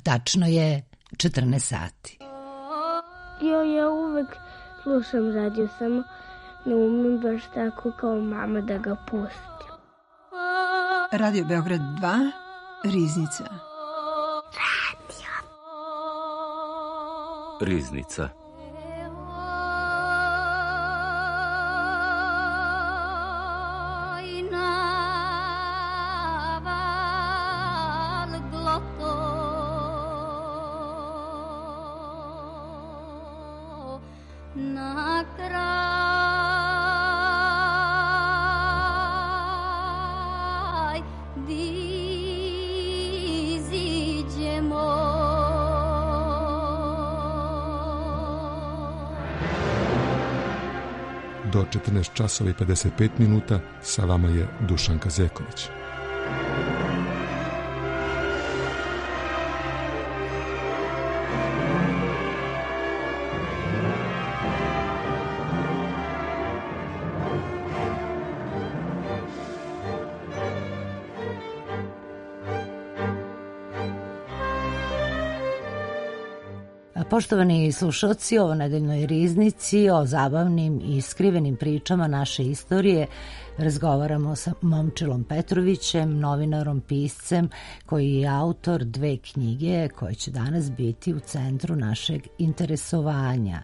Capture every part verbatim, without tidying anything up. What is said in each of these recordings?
tačno je četrnaest sati. Jo, ja uvek slušam radio, samo ne umem baš tako kao mama da ga pustim. Radio Beograd dva, Riznica. Radio. Riznica. Do četrnaest časova i pedeset pet minuta sa vama je Dušan Kazeković. Poštovani slušalci, o nedeljnoj riznici, o zabavnim i skrivenim pričama naše istorije razgovaramo sa Momčilom Petrovićem, novinarom, piscem, koji je autor dve knjige koje će danas biti u centru našeg interesovanja.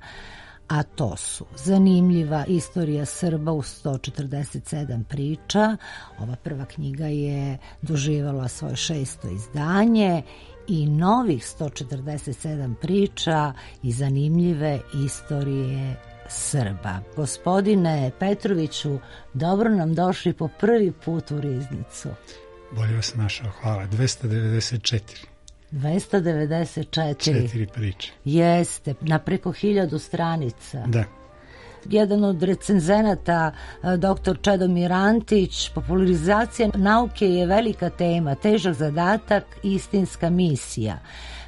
A to su Zanimljiva istorija Srba u sto četrdeset sedam priča. Ova prva knjiga je doživjela svoje šesto izdanje i novih sto četrdeset sedam priča i zanimljive istorije Srba. Gospodine Petroviću, dobro nam došli po prvi put u Riznicu. Bolje vas našao, hvala. dvesta devedeset četiri. dvesta devedeset četiri. Četiri priče. Jeste, na preko hiljadu stranica. Da. Jedan od recenzenata, doktor Čedomir Antić, popularizacija nauke je velika tema, težak zadatak, istinska misija.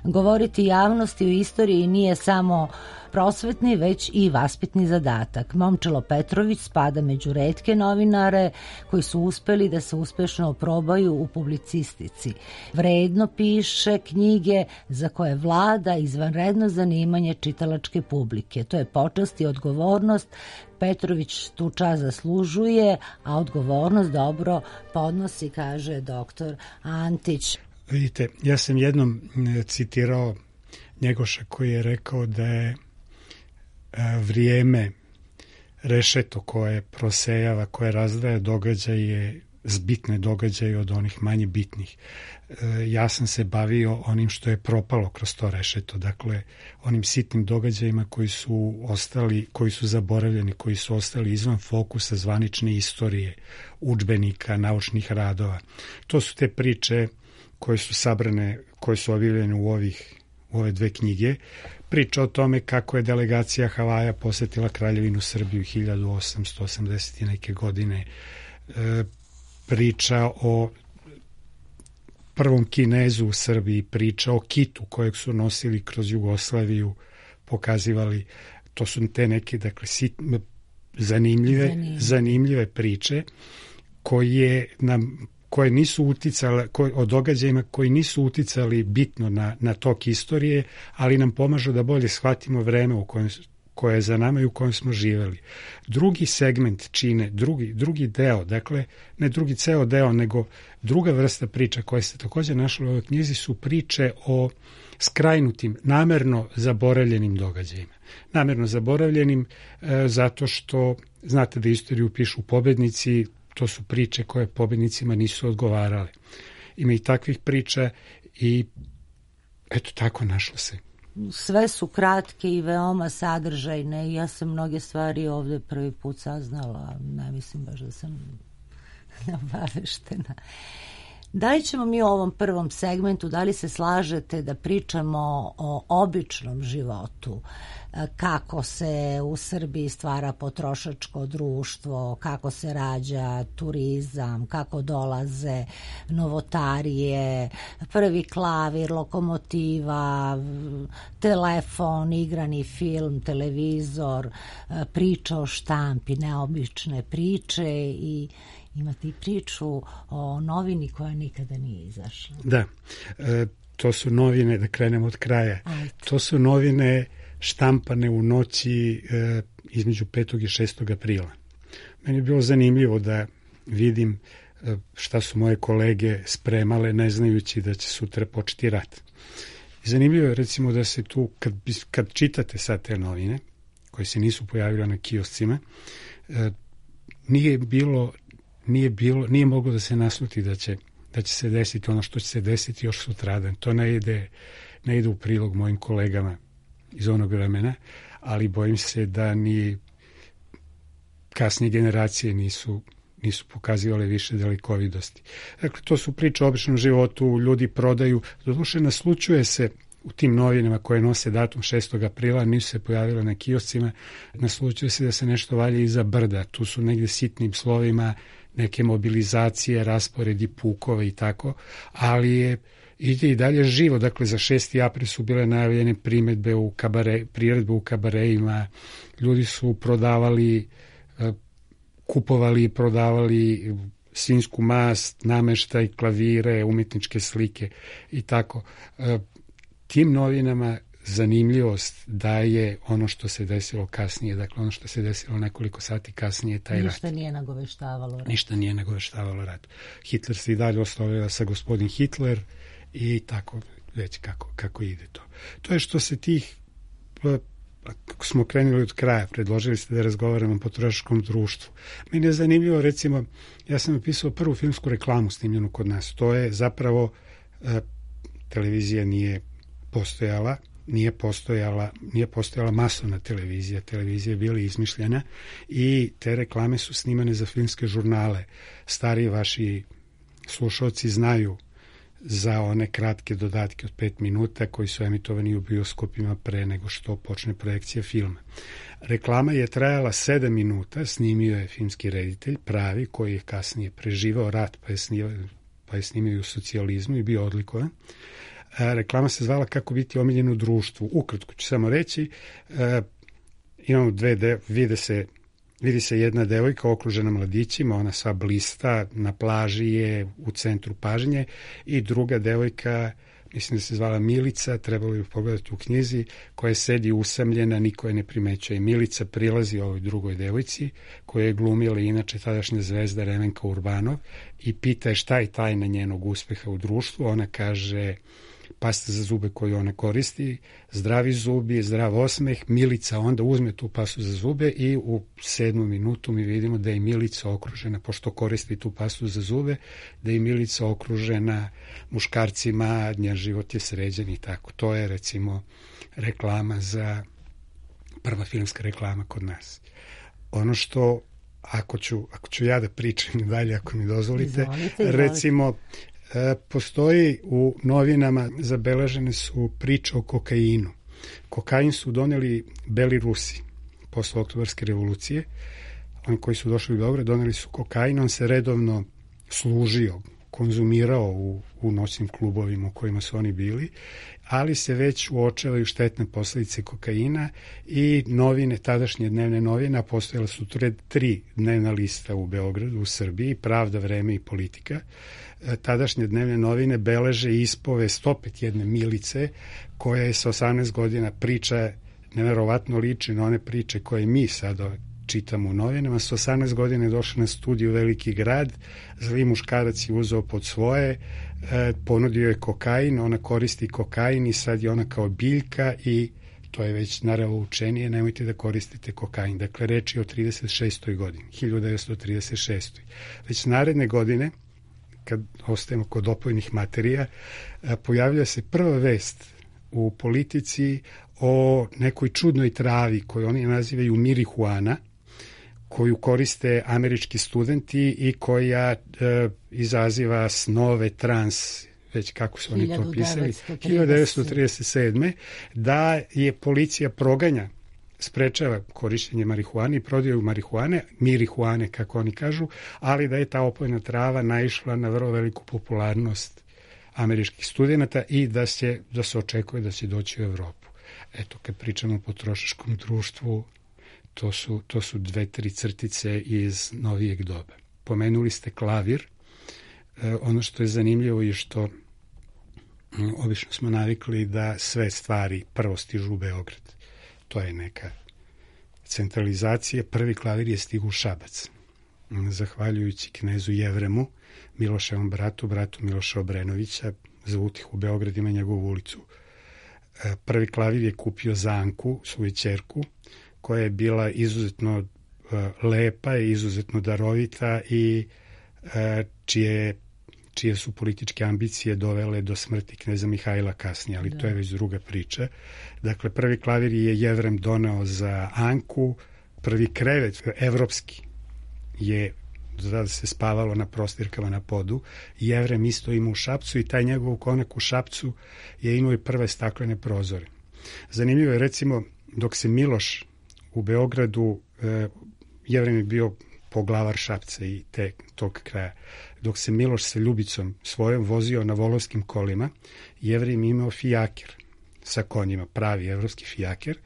Govoriti javnosti o istoriji nije samo prosvetni, već i vaspitni zadatak. Momčilo Petrović spada među retke novinare koji su uspeli da se uspešno oprobaju u publicistici. Vredno piše knjige za koje vlada izvanredno zanimanje čitalačke publike. To je počast i odgovornost. Petrović tu čast zaslužuje, a odgovornost dobro podnosi, kaže doktor Antić. Vidite, ja sam jednom citirao Njegoša koji je rekao da je vrijeme rešeto koje prosejava, koje razdvaja događaje, zbitne događaje od onih manje bitnih. Ja sam se bavio onim što je propalo kroz to rešeto, dakle onim sitnim događajima koji su ostali, koji su zaboravljeni, koji su ostali izvan fokusa zvanične istorije, udžbenika, naučnih radova. To su te priče koje su sabrane, koje su objavljene u ovih u ove dve knjige. Priča o tome kako je delegacija Havaja posetila Kraljevinu Srbiju hiljadu osamsto osamdeset neke godine. E, priča o prvom Kinezu u Srbiji, priča o kitu kojeg su nosili kroz Jugoslaviju, pokazivali, to su te neke, dakle, sit, zanimljive, zanimljive. zanimljive priče koje nam koje nisu uticale, koje, o događajima koji nisu uticali bitno na, na tok istorije, ali nam pomažu da bolje shvatimo vreme u kojem, koje je za nama i u kojem smo živeli. Drugi segment čine, drugi, drugi deo, dakle, ne drugi ceo deo, nego druga vrsta priča koje se također našla u ovoj knjizi su priče o skrajnutim, namerno zaboravljenim događajima. Namerno zaboravljenim e, zato što, znate da istoriju pišu pobednici, to su priče koje pobednicima nisu odgovarale. Ima i takvih priča i eto tako našlo se. Sve su kratke i veoma sadržajne i ja sam mnoge stvari ovde prvi put saznala, ne mislim baš da sam obaveštena. Da li ćemo mi u ovom prvom segmentu, da li se slažete da pričamo o običnom životu, kako se u Srbiji stvara potrošačko društvo, kako se rađa turizam, kako dolaze novotarije, prvi klavir, lokomotiva, telefon, igrani film, televizor, priča o štampi, neobične priče i imate i priču o novini koja nikada nije izašla. Da, e, to su novine, da krenemo od kraja, Ajde. To su novine štampane u noći e, između petog i šestog aprila. Meni je bilo zanimljivo da vidim e, šta su moje kolege spremale, ne znajući da će sutra početi rat. I zanimljivo je recimo da se tu, kad, kad čitate sad te novine, koje se nisu pojavile na kioscima, e, nije bilo, nije bilo, nije moglo da se nasluti da će, da će se desiti ono što će se desiti još sutradan. To ne ide, ne ide u prilog mojim kolegama iz onog vremena, ali bojim se da ni kasnije generacije nisu, nisu pokazivale više dalekovidosti. Dakle, to su priče o običnom životu, ljudi prodaju, doduše naslučuje se u tim novinama koje nose datum šestog aprila, nisu se pojavile na kioscima, naslučuje se da se nešto valja iza brda, tu su negde sitnim slovima neke mobilizacije, rasporedi pukove i tako, ali je ide i dalje živo. Dakle, za šesti april su bile najavljene primetbe u kabare, priredbe u kabarejima, ljudi su prodavali, kupovali i prodavali svinjsku mast, nameštaj, klavire, umetničke slike i tako. Tim novinama zanimljivost daje ono što se desilo kasnije, dakle ono što se desilo nekoliko sati kasnije, taj rat. Ništa nije nagoveštavalo rat. Ništa nije nagoveštavalo rat. Hitler se i dalje ostavlja sa gospodin Hitler i tako već kako, kako ide to. To je što se tih, ako smo krenuli od kraja, predložili ste da razgovaramo o potrošačkom društvu. Meni je zanimljivo, recimo, ja sam napisao prvu filmsku reklamu snimljenu kod nas. To je zapravo, e, televizija nije postojala, nije postojala, nije postojala masovna televizija, televizija je bila izmišljena i te reklame su snimane za filmske žurnale. Stariji vaši slušalci znaju za one kratke dodatke od pet minuta koji su emitovani u bioskopima pre nego što počne projekcija filma. Reklama je trajala sedam minuta, snimio je filmski reditelj, pravi, koji je kasnije preživao rat, pa je snimio, pa je snimio u socijalizmu i bio odlikovan. Reklama se zvala Kako biti omiljen u društvu. Ukratko ću samo reći, e, imamo dve, de, vide se Vidi se jedna devojka okružena mladićima, ona sva blista, na plaži je, u centru pažnje, i druga devojka, mislim da se zvala Milica, trebalo je pogledati u knjizi, koja sedi usamljena, niko je ne primećuje. Milica prilazi ovoj drugoj devojci, koja je glumila inače tadašnja zvezda Remenka Urbanov, i pita je šta je tajna njenog uspeha u društvu. Ona kaže: pasta za zube koju ona koristi, zdravi zubi, zdrav osmeh. Milica onda uzme tu pastu za zube i u sedmu minutu mi vidimo da je Milica okružena, pošto koristi tu pastu za zube, da je Milica okružena muškarcima, njen život je sređen i tako. To je recimo reklama za, prva filmska reklama kod nas. Ono što, ako ću, ako ću ja da pričam dalje, ako mi dozvolite, izvolite, izvolite. Recimo, postoji u novinama, zabeležene su priče o kokainu. Kokain su doneli Beli Rusi posle Oktobarske revolucije. Oni koji su došli u Beograd doneli su kokain, on se redovno služio, konzumirao u, u noćnim klubovima u kojima su oni bili, ali se već uočavaju štetne posledice kokaina i novine, tadašnje dnevne novine, a postojala su tri dnevna lista u Beogradu, u Srbiji, Pravda, Vreme i Politika. Tadašnje dnevne novine beleže ispovest opet jedne Milice, koja je sa osamnaest godina, priča neverovatno liči na one priče koje mi sada čitamo u novinama. Sa osamnaest godina je došla na studiju Veliki grad, zli muškarac je uzeo pod svoje, ponudio je kokain, ona koristi kokain i sad je ona kao biljka i to je već naravno učenije, nemojte da koristite kokain. Dakle, reč je o trideset šestoj godini, hiljadu devetsto trideset šestoj. Već naredne godine, kad ostajemo kod opojnih materija, pojavlja se prva vest u Politici o nekoj čudnoj travi koju oni nazivaju marihuana, koju koriste američki studenti i koja e, izaziva snove, trans, već kako su oni to pisali, hiljadu devetsto trideset sedme. Da je policija proganja, sprečava korišćenje marihuane i prodaju marihuane, mirihuane kako oni kažu, ali da je ta opojna trava naišla na vrlo veliku popularnost američkih studenta i da se, da se očekuje da će doći u Evropu. Eto, kad pričamo o potrošačkom društvu, to su, to su dve, tri crtice iz novijeg doba. Pomenuli ste klavir. E, ono što je zanimljivo je što obično smo navikli da sve stvari prvo stižu u Beograd. To je neka centralizacija. Prvi klavir je stigu u Šabac. Zahvaljujući knezu Jevremu, Miloševom bratu, bratu Miloša Obrenovića, za utih u Beograd ima njegovu ulicu. Prvi klavir je kupio za Anku, svoju ćerku, koja je bila izuzetno lepa i izuzetno darovita i čije, čije su političke ambicije dovele do smrti kneza Mihajla kasnije, ali da. To je već druga priča. Dakle, prvi klavir je Jevrem doneo za Anku, prvi krevet evropski je da se spavalo na prostirkama na podu. Jevrem isto ima u Šapcu i taj njegov konak u Šapcu je imao i prve staklene prozore. Zanimljivo je, recimo, dok se Miloš u Beogradu, e, Jevrem je bio poglavar Šapca i te, tog kraja, dok se Miloš sa Ljubicom svojom vozio na volovskim kolima, Jevrem imao fijaker sa konjima, pravi evropski fijaker.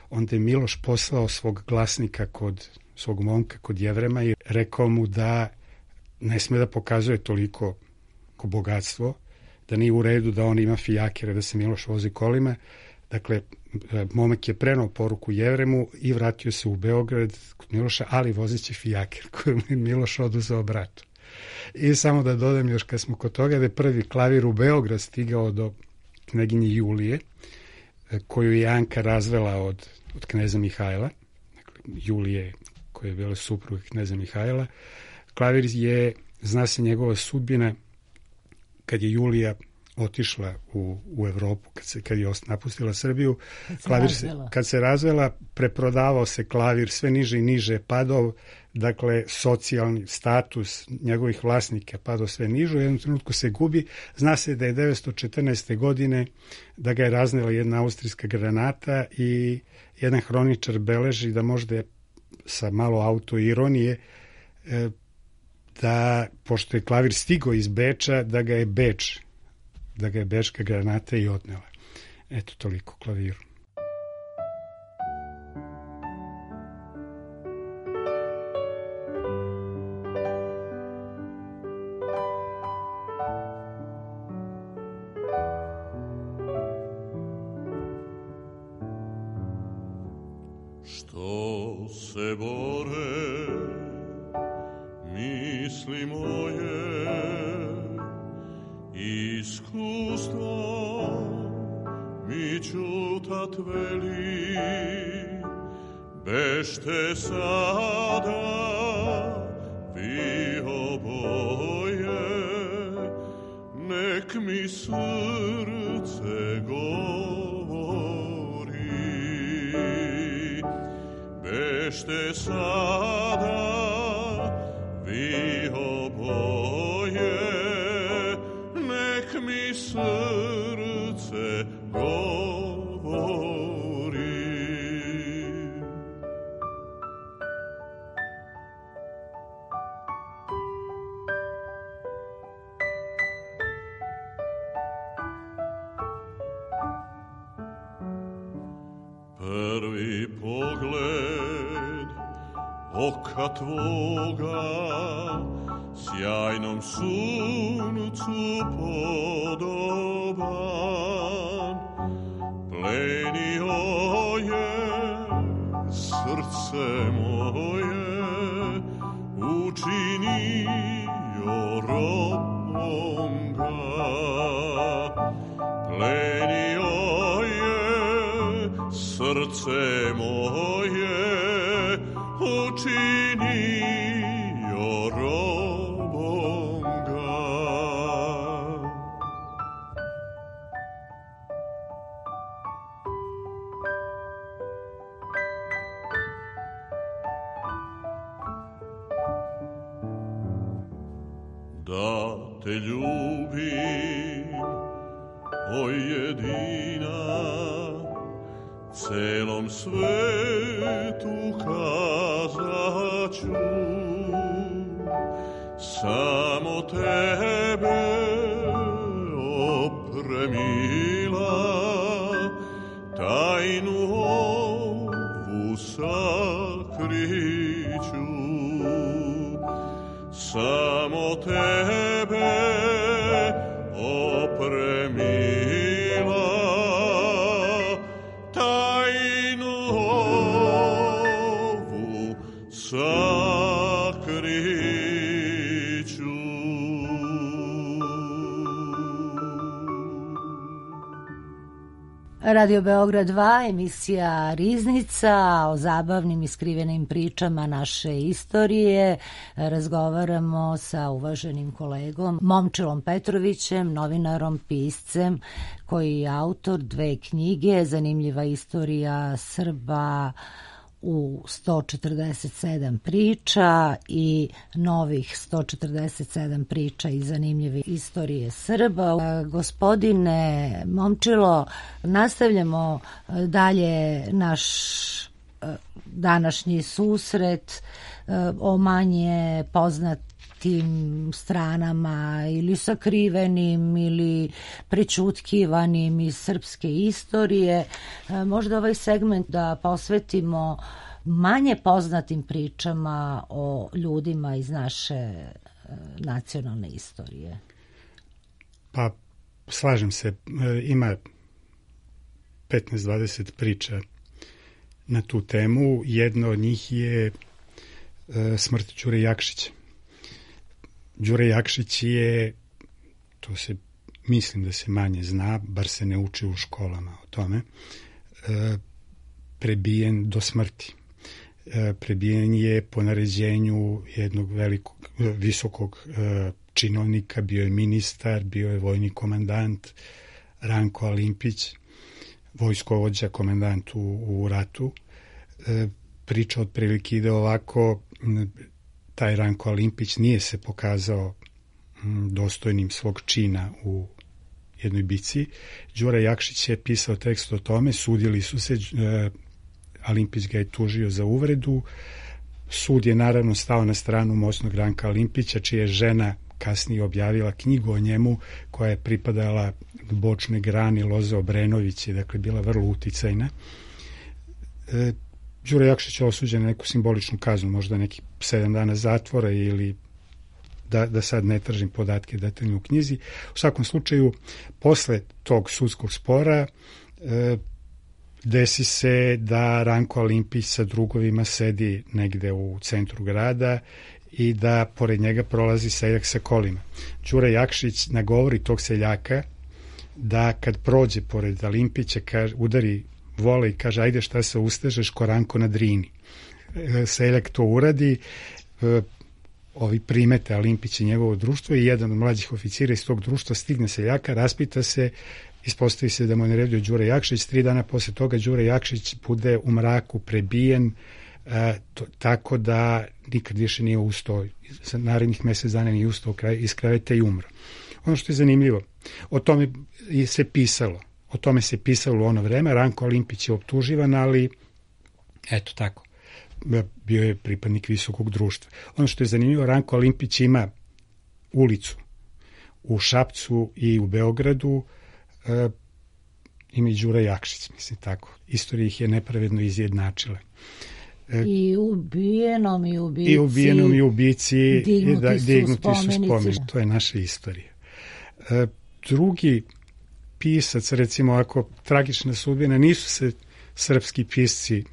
Onda je Miloš poslao svog glasnika kod svog momka kod Jevrema i rekao mu da ne sme da pokazuje toliko bogatstvo, da nije u redu da on ima fijakere, da se Miloš vozi kolima. Dakle, momak je prenao poruku Jevremu i vratio se u Beograd kod Miloša, ali vozeći fijaker koju mi Miloš oduzeo bratu. I samo da dodam još kad smo kod toga da je prvi klavir u Beograd stigao do kneginje Julije, koju je Anka razvela od, od kneza Mihajla. Dakle, Julije, koja je bila supruga kneza Mihajla. Klavir je, zna se njegova sudbina, kad je Julija otišla u, u Evropu, kad, se, kad je napustila Srbiju, kad se, klavir se, kad se razvela, preprodavao se klavir, sve niže i niže padao, dakle, socijalni status njegovih vlasnika padao sve niže, u jednom trenutku se gubi. Zna se da je devetsto četrnaeste. godine da ga je raznela jedna austrijska granata i jedan hroničar beleži da možda je sa malo autoironije da, pošto je klavir stigao iz Beča, da ga je Beč, da ga je bečka granata i odnela. Eto, toliko klaviru. Što se bore misli moje, iskustvo mi čutat veli, bešte sada vi oboje, nek mi srce govori, bešte sada vi oboje, nek mi srce govori. Prvi pogled oka tvoga sjajnom suncu podoban, plenio je srce moje, učinio robom ga, plenio je srce moje, učinio robom ga. Da te ljubim, o jedina, celom svetu kazaću, samo tebe, o premila, tajnu ovu sakriću, samo tebe, o premila, Radio Beograd dva, emisija Riznica, o zabavnim i skrivenim pričama naše istorije. Razgovaramo sa uvaženim kolegom Momčilom Petrovićem, novinarom, piscem, koji je autor dve knjige, Zanimljiva istorija Srba u sto četrdeset sedam priča i novih sto četrdeset sedam priča i zanimljive istorije Srba. Gospodine Momčilo, nastavljamo dalje naš današnji susret o manje poznatim stranama ili sakrivenim ili prećutkivanim iz srpske istorije. Možda ovaj segment da posvetimo manje poznatim pričama o ljudima iz naše nacionalne istorije. Pa slažem se, ima petnaest dvadeset priča na tu temu. Jedna od njih je smrt Đure Jakšića. Đure Jakšić je, to se mislim da se manje zna, bar se ne uči u školama o tome, prebijen do smrti. Prebijen je po naređenju jednog velikog, visokog činovnika, bio je ministar, bio je vojni komandant Ranko Alimpić, vojskovođa, komandant u, u ratu. Priča otprilike ide ovako: taj Ranko Alimpić nije se pokazao dostojnim svog čina u jednoj bici. Đura Jakšić je pisao tekst o tome, sudili su se, Alimpić ga je tužio za uvredu. Sud je naravno stao na stranu moćnog Ranka Alimpića, čija je žena kasnije objavila knjigu o njemu koja je pripadala bočnoj grani Loze Obrenović, je dakle bila vrlo uticajna. E, Đura Jakšić je osuđen na neku simboličnu kaznu, možda nekih sedam dana zatvora ili da, da sad ne tržim podatke detaljno u knjizi. U svakom slučaju, posle tog sudskog spora e, desi se da Ranko Alimpić sa drugovima sedi negde u centru grada i da pored njega prolazi seljak sa kolima. Đura Jakšić nagovori tog seljaka da kad prođe pored Alimpića kaže, udari vole i kaže: ajde, šta se ustežeš ko Ranko na Drini. Seljak to uradi, ovi primete Alimpić i njegovo društvo i jedan od mlađih oficira iz tog društva stigne seljaka, raspita se, ispostavi se da mu je naredio Đura Jakšić. Tri dana posle toga Đura Jakšić bude u mraku prebijen, e, to, tako da nikad više nije ustao, za narednih mesec dana nije ustao iz kreveta i umro. Ono što je zanimljivo, o tome se pisalo, o tome se pisalo u ono vreme. Ranko Alimpić je optuživan, ali eto tako, bio je pripadnik visokog društva. Ono što je zanimljivo, Ranko Alimpić ima ulicu u Šapcu i u Beogradu, e, ima i Đura Jakšić, mislim tako. Istorija ih je nepravedno izjednačila. E, I ubijenom i ubici. I ubijenom i ubici dignuti, da, su, dignuti spomenici. su spomenici. To je naša istorija. E, drugi pisac, recimo, ako tragična sudbina, nisu se srpski pisci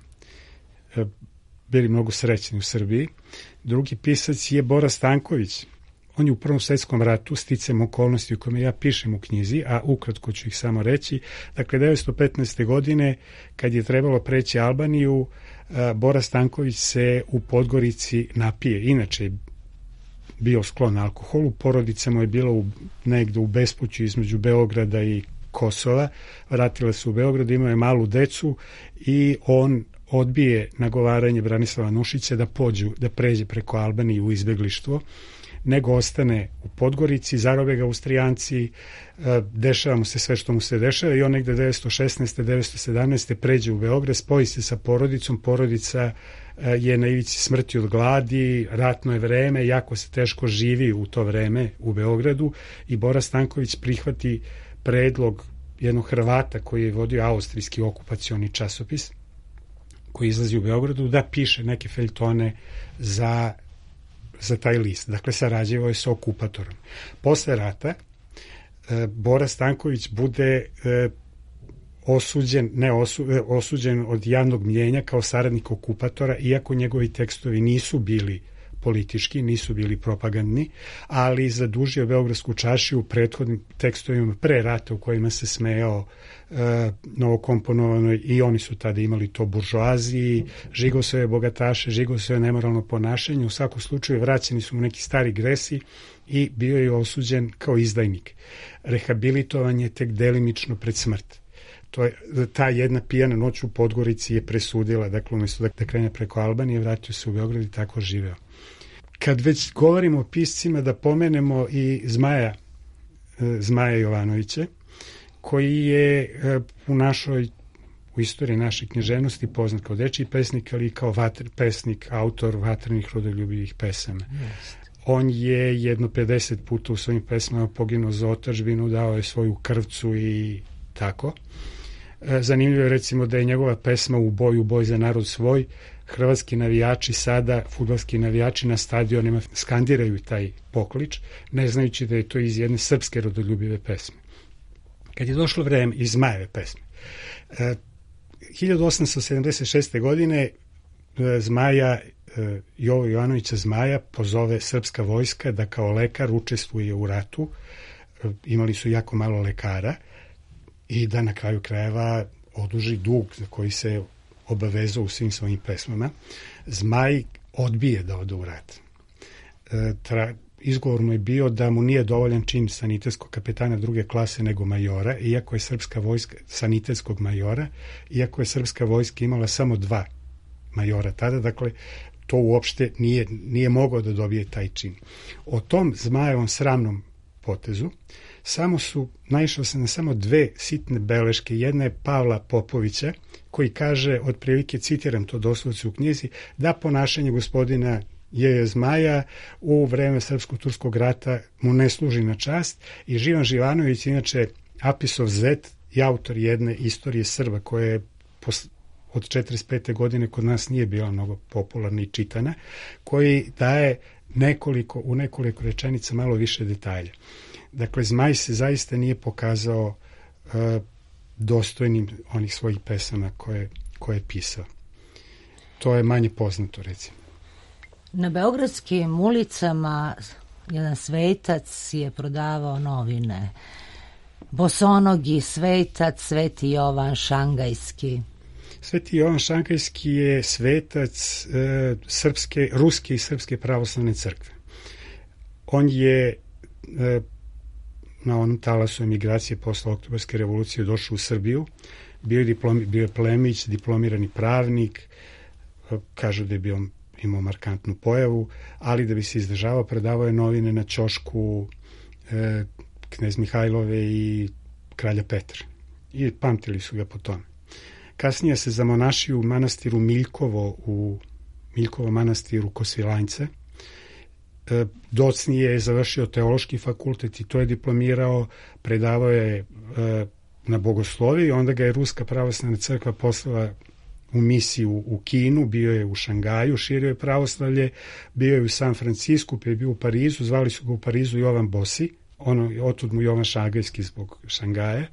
e, bili mnogo srećni u Srbiji. Drugi pisac je Bora Stanković. On je u Prvom svetskom ratu, sticam okolnosti u kome ja pišem u knjizi, a ukratko ću ih samo reći. Dakle, devetsto petnaeste. godine, kad je trebalo preći Albaniju, Bora Stanković se u Podgorici napije. Inače je bio sklon alkoholu, porodica mu je bila u, negde u bespuću između Beograda i Kosova. Vratila se u Beograd, imao je malu decu i on odbije nagovaranje Branislava Nušića da pođu, da pređe preko Albanije u izbeglištvo, nego ostane u Podgorici, zarobe ga Austrijanci, dešava mu se sve što mu se dešava i on negde devetsto šesnaeste. devetsto sedamnaeste. pređe u Beograd, spoji se sa porodicom, porodica je na ivici smrti od gladi, ratno je vreme, jako se teško živi u to vreme u Beogradu i Bora Stanković prihvati predlog jednog Hrvata koji je vodio austrijski okupacioni časopis, koji izlazi u Beogradu, da piše neke feljtone za za taj list. Dakle, sarađivao je sa okupatorom. Posle rata e, Bora Stanković bude e, osuđen, ne osu, e, osuđen od javnog mnjenja kao saradnik okupatora, iako njegovi tekstovi nisu bili politički, nisu bili propagandni, ali zadužio Beogradsku čaršiju u prethodnim tekstovima pre rata u kojima se smejao e, novokomponovanoj, i oni su tada imali to buržoaziji, žigao svoje bogataše, žigao svoje nemoralno ponašanje. U svakom slučaju vraćeni su mu neki stari gresi i bio je osuđen kao izdajnik. Rehabilitovan je tek delimično pred smrt. To je, ta jedna pijana noć u Podgorici je presudila, dakle umjesto da krene preko Albanije, vratio se u Beograd i tako živeo. Kad već govorimo o piscima, da pomenemo i Zmaja, Zmaja Jovanovića, koji je u našoj, u istoriji naše književnosti poznat kao dečiji pesnik, ali i kao vatr, pesnik, autor vatrenih rodoljubivih pesama. Yes. On je jedno pedeset puta u svojim pesmama poginuo za otadžbinu, dao je svoju krvcu i tako. Zanimljivo je recimo da je njegova pesma U boj, u boj za narod svoj, hrvatski navijači sada, fudbalski navijači na stadionima skandiraju taj poklič, ne znajući da je to iz jedne srpske rodoljubive pesme. Kad je došlo vreme iz Zmajeve pesme, hiljadu osamsto sedamdeset šeste. godine Zmaja, Jovo Jovanovića Zmaja pozove srpska vojska da kao lekar učestvuje u ratu, imali su jako malo lekara, i da na kraju krajeva oduži dug za koji se obavezao u svim svojim pesmama. Zmaj odbije da ode u rat. E, tra, izgovor mu je bio da mu nije dovoljan čin sanitetskog kapetana druge klase nego majora, iako je srpska vojska, sanitetskog majora, iako je srpska vojska imala samo dva majora tada, dakle to uopšte nije, nije mogao da dobije taj čin. O tom Zmajevom sramnom potezu samo su, naišao se na samo dve sitne beleške. Jedna je Pavla Popovića, koji kaže, otprilike citiram to doslovce u knjizi, da ponašanje gospodina J. Zmaja u vreme Srpsko-turskog rata mu ne služi na čast, i Živan Živanović, inače Apisov zet i autor jedne istorije Srba, koja je od četrdeset pete. godine kod nas nije bila mnogo popularna i čitana, koji daje nekoliko, u nekoliko rečenica malo više detalja. Dakle, Zmaj se zaista nije pokazao uh, dostojnim onih svojih pesama koje, koje je pisao. To je manje poznato, recimo. Na beogradskim ulicama jedan svetac je prodavao novine. Bosonogi svetac, Sveti Jovan Šangajski. Sveti Jovan Šangajski je svetac e, srpske, ruske i srpske pravoslavne crkve. On je e, na onom talasu emigracije posle Oktobarske revolucije došao u Srbiju, bio je, diplomi, bio je plemić, diplomirani pravnik, e, kažu da je bio, imao markantnu pojavu, ali da bi se izdržavao, predavao je novine na ćošku e, Knez Mihajlove i kralja Petra. I pamtili su ga po tome. Kasnije se zamonašio u manastiru Miljkovo, u Miljkovo manastiru Kosilanjce. E, docnije je završio teološki fakultet i to je diplomirao, predavao je e, na bogosloviji, onda ga je Ruska pravoslavna crkva poslala u misiju u Kinu, bio je u Šangaju, širio je pravoslavlje, bio je u San Francisku, pa je bio u Parizu, zvali su ga u Parizu Jovan Bosi, ono, otud mu Jovan Šangajski zbog Šangaja.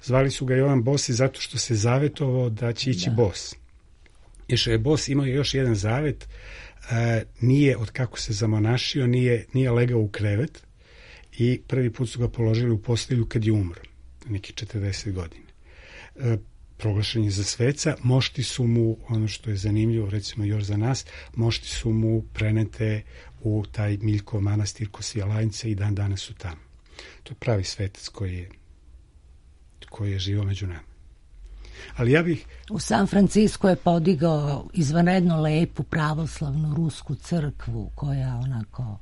Zvali su ga Jovan Bosi zato što se zavetovao da će ići da. bos. Išao je bos, imao je još jedan zavet, e, nije, od kako se zamonašio, nije, nije legao u krevet i prvi put su ga položili u postelju kad je umro, neki četrdeset godina. E, proglašen je za sveca, mošti su mu, ono što je zanimljivo, recimo još za nas, mošti su mu prenete u taj Miljkov manastir Kosilanjce i dan danas su tamo. To je pravi svetac koji je koji je živo među nama. Ali ja bih... U San Francisco je podigao izvanredno lepu pravoslavnu rusku crkvu koja onako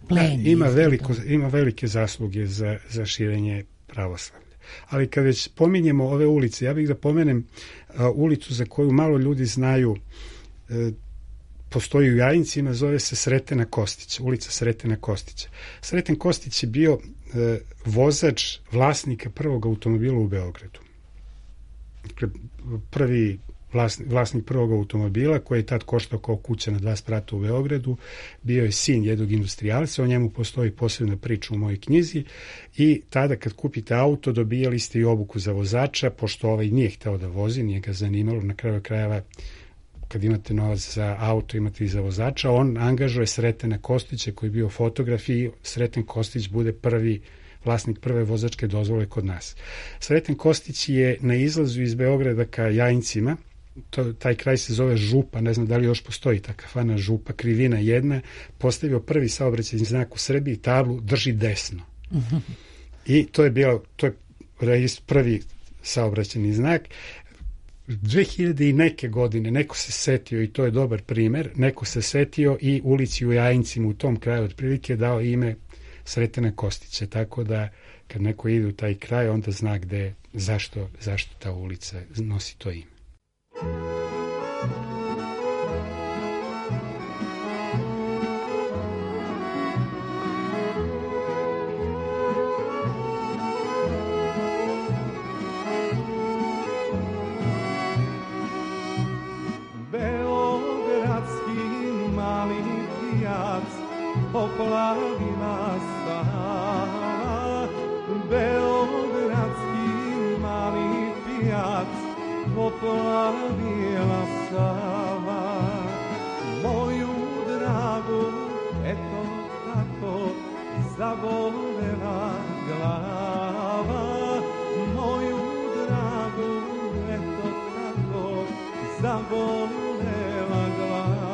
pleni. Da, ima, veliko, ima velike zasluge za, za širenje pravoslavlja. Ali kad već pominjemo ove ulice, ja bih da pomenem a, ulicu za koju malo ljudi znaju, a, postoji u Jajincima, zove se Sretena Kostića, ulica Sretena Kostića. Sreten Kostić je bio e, vozač vlasnika prvog automobila u Beogradu. Dakle, prvi vlasnik, vlasnik prvog automobila, koji je tad koštao kao kuća na dva sprata u Beogradu, bio je sin jednog industrijalca, o njemu postoji posebna priča u mojoj knjizi, i tada kad kupite auto dobijali ste i obuku za vozača, pošto ovaj nije hteo da vozi, nije ga zanimalo, na kraju krajeva kad imate novac za auto, imate i za vozača, on angažuje Sretena Kostića koji je bio fotograf i Sreten Kostić bude prvi vlasnik prve vozačke dozvole kod nas. Sreten Kostić je na izlazu iz Beograda ka Jajincima, to, taj kraj se zove Župa, ne znam da li još postoji ta kafana Župa, krivina jedna, postavio prvi saobraćajni znak u Srbiji, tablu drži desno. Uh-huh. I to je bio, to je prvi saobraćajni znak. dve hiljade i neke godine neko se setio, i to je dobar primer, neko se setio i ulici u Jajincima u tom kraju otprilike dao ime Sretena Kostića, tako da kad neko ide u taj kraj, onda zna gde, zašto, zašto ta ulica nosi to ime. Poplavila Sava, beogradski mali pijac, poplavila Sava, moju dragu, eto tako, zavolela glava, moju dragu, eto tako, zavolela glava.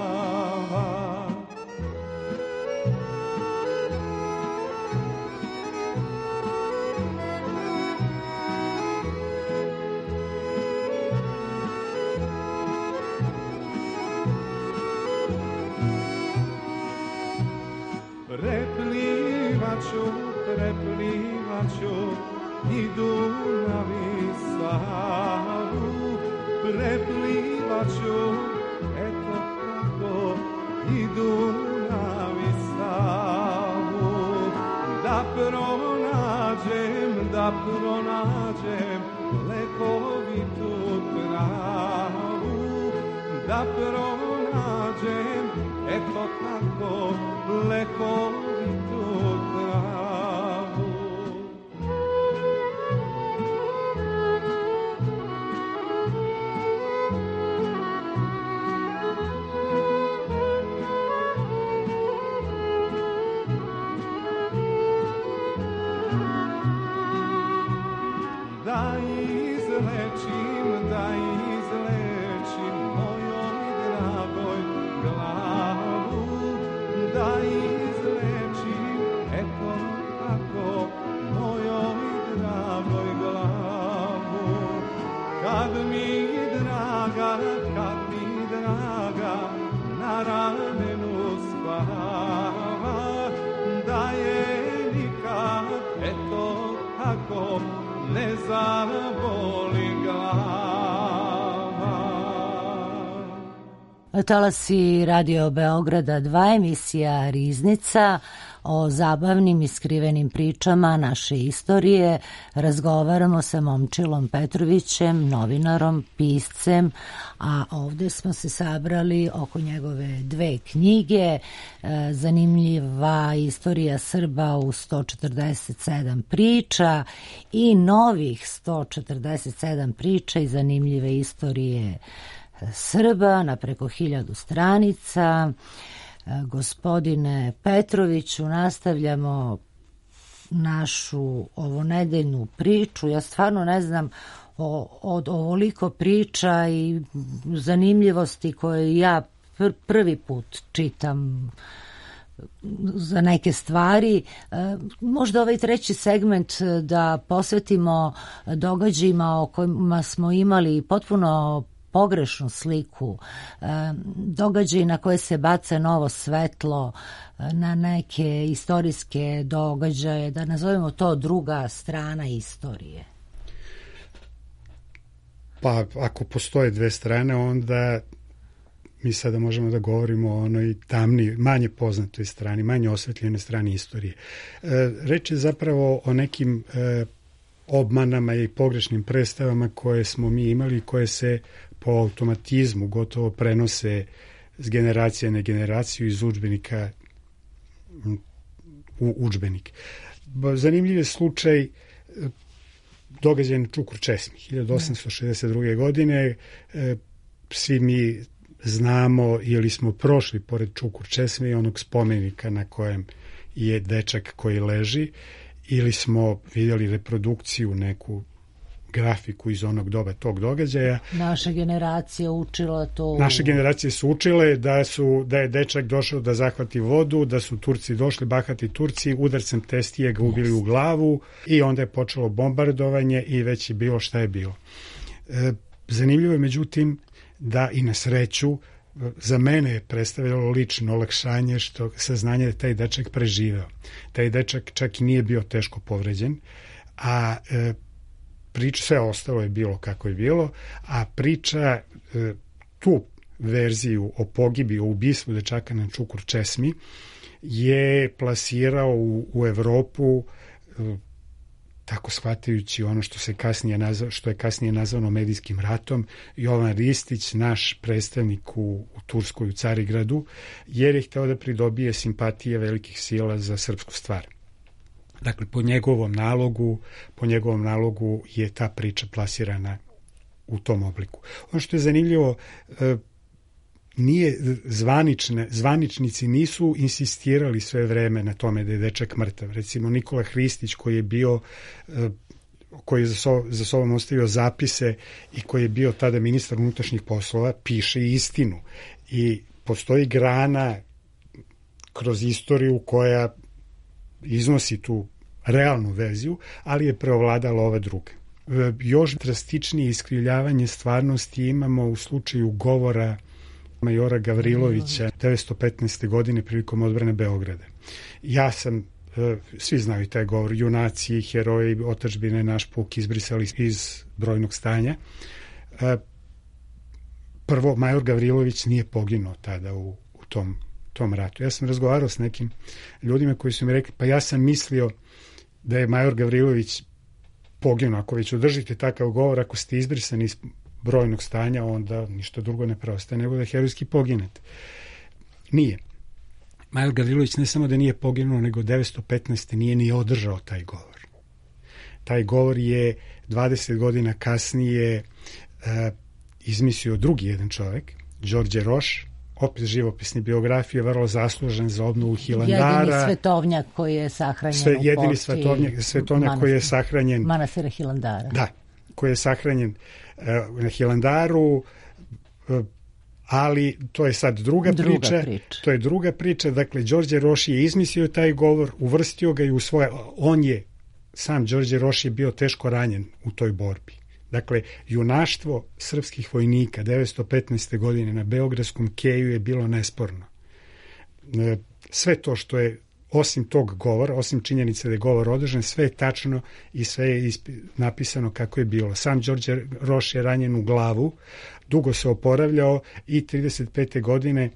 Preplivaću, preplivaću i Dunav i Savu, preplivaću, eto tako, i Dunav i Savu, da pronađem, da pronađem lekovitu travu, da pronađem, eto tako, lekovitu travu. Da izlečim, da izlečim mojoj dragoj glavu, da izlečim, eto tako, mojoj dragoj glavu. Kad mi draga, kad mi draga, na ramenu spava, da je nikad, eto tako, ne zaboli glava. Talasi Radio Beograda dva, emisija Riznica, o zabavnim i skrivenim pričama naše istorije. Razgovaramo sa Momčilom Petrovićem, novinarom, piscem, a ovde smo se sabrali oko njegove dve knjige, Zanimljiva istorija Srba u sto četrdeset sedam priča i novih sto četrdeset sedam priča i zanimljive istorije Srba na preko hiljadu stranica. Gospodine Petroviću, nastavljamo našu ovonedeljnu priču. Ja stvarno ne znam o, od ovoliko priča i zanimljivosti koje ja pr prvi put čitam za neke stvari. Možda ovaj treći segment da posvetimo događajima o kojima smo imali potpuno pogrešnu sliku, događaj na koje se baca novo svetlo, na neke istorijske događaje, da nazovemo to druga strana istorije. Pa ako postoje dve strane, onda mi sada možemo da govorimo o onoj tamniji, manje poznatoj strani, manje osvetljene strani istorije. Reč je zapravo o nekim obmanama i pogrešnim predstavama koje smo mi imali, koje se po automatizmu gotovo prenose s generacije na generaciju iz udžbenika u udžbenik. Zanimljiv je slučaj događaj na Čukur Česmi hiljadu osamsto šezdeset druge. godine. Svi mi znamo ili smo prošli pored Čukur česme i onog spomenika na kojem je dečak koji leži, ili smo vidjeli reprodukciju, neku grafiku iz onog doba tog događaja. Naša generacija učila to. Naše generacije su učile da, su, da je dečak došao da zahvati vodu, da su Turci došli, bahati Turci, udarcem testije ga ubili yes. u glavu i onda je počelo bombardovanje i već je bilo šta je bilo. E, zanimljivo je međutim da i na sreću za mene je predstavljalo lično olakšanje što saznanje da taj dečak preživeo. Taj dečak čak i nije bio teško povređen, a e, priča, sve ostalo je bilo kako je bilo, a priča e, tu verziju o pogibi, o ubistvu dečaka na Čukur česmi je plasirao u, u Evropu e, tako shvatajući ono što se kasnije nazva, što je kasnije nazvano medijskim ratom, Jovan Ristić, naš predstavnik u, u Turskoj, u Carigradu, jer je hteo da pridobije simpatije velikih sila za srpsku stvar. Dakle, po njegovom nalogu, po njegovom nalogu je ta priča plasirana u tom obliku. Ono što je zanimljivo, nije zvanične, zvaničnici nisu insistirali sve vreme na tome da je dečak mrtav. Recimo Nikola Hristić koji je bio, koji je za, so, za sobom ostavio zapise i koji je bio tada ministar unutrašnjih poslova, piše istinu. I postoji grana kroz istoriju koja iznosi tu realnu verziju, ali je preovladala ova druga. Još drastičnije iskrivljavanje stvarnosti imamo u slučaju govora majora Gavrilovića devetsto petnaeste. godine prilikom odbrane Beograda. Ja sam, svi znaju taj govor, junaci, heroji, otadžbine, naš puk izbrisali iz brojnog stanja. Prvo, major Gavrilović nije poginuo tada u, u tom, tom ratu. Ja sam razgovarao s nekim ljudima koji su mi rekli, pa ja sam mislio da je major Gavrilović poginuo. Ako već održite takav govor, ako ste izbrisani iz brojnog stanja, onda ništa drugo ne preostaje nego da herojski poginete. Nije. Major Gavrilović ne samo da nije poginuo, nego devetsto petnaeste. nije ni održao taj govor. Taj govor je dvadeset godina kasnije uh, izmislio drugi jedan čovjek, Đorđe Roš, opis živopisne biografije, vrlo zaslužen za obnovu Hilandara. Jedini svetovnjak koji je sahranjen sve, u jedini svetovnjak, svetovnjak manastir, koji je sahranjen manastira Hilandara. Da, koji je sahranjen uh, na Hilandaru, uh, ali to je sad druga, druga priča, priča. To je druga priča. Dakle, Đorđe Roš je izmislio taj govor, uvrstio ga i u svoje... On je, sam Đorđe Roš je bio teško ranjen u toj borbi. Dakle, junaštvo srpskih vojnika devetsto petnaeste. godine na Beogradskom keju je bilo nesporno. Uh, sve to što je osim tog govora, osim činjenice da je govor održan, sve je tačno i sve je napisano kako je bilo. Sam Đorđe Roš je ranjen u glavu, dugo se oporavljao i trideset pete. godine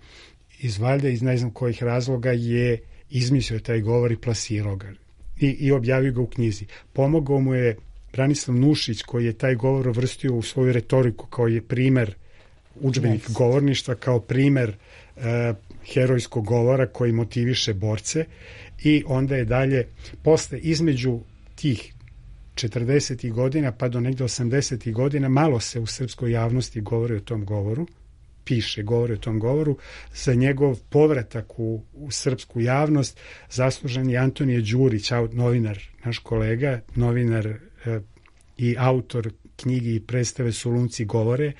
iz valjda iz ne znam kojih razloga je izmislio taj govor i plasirao ga i, i objavio ga u knjizi. Pomogao mu je Branislav Nušić koji je taj govor uvrstio u svoju retoriku kao je primer udžbenik yes. govorništva, kao primer uh, herojskog govora koji motiviše borce i onda je dalje posle između tih četrdesetih godina pa do negde osamdesetih godina malo se u srpskoj javnosti govori o tom govoru, piše, govori o tom govoru. Za njegov povratak u, u srpsku javnost zaslužen je Antonije Đurić, novinar, naš kolega, novinar eh, i autor knjigi i predstave Solunci govore,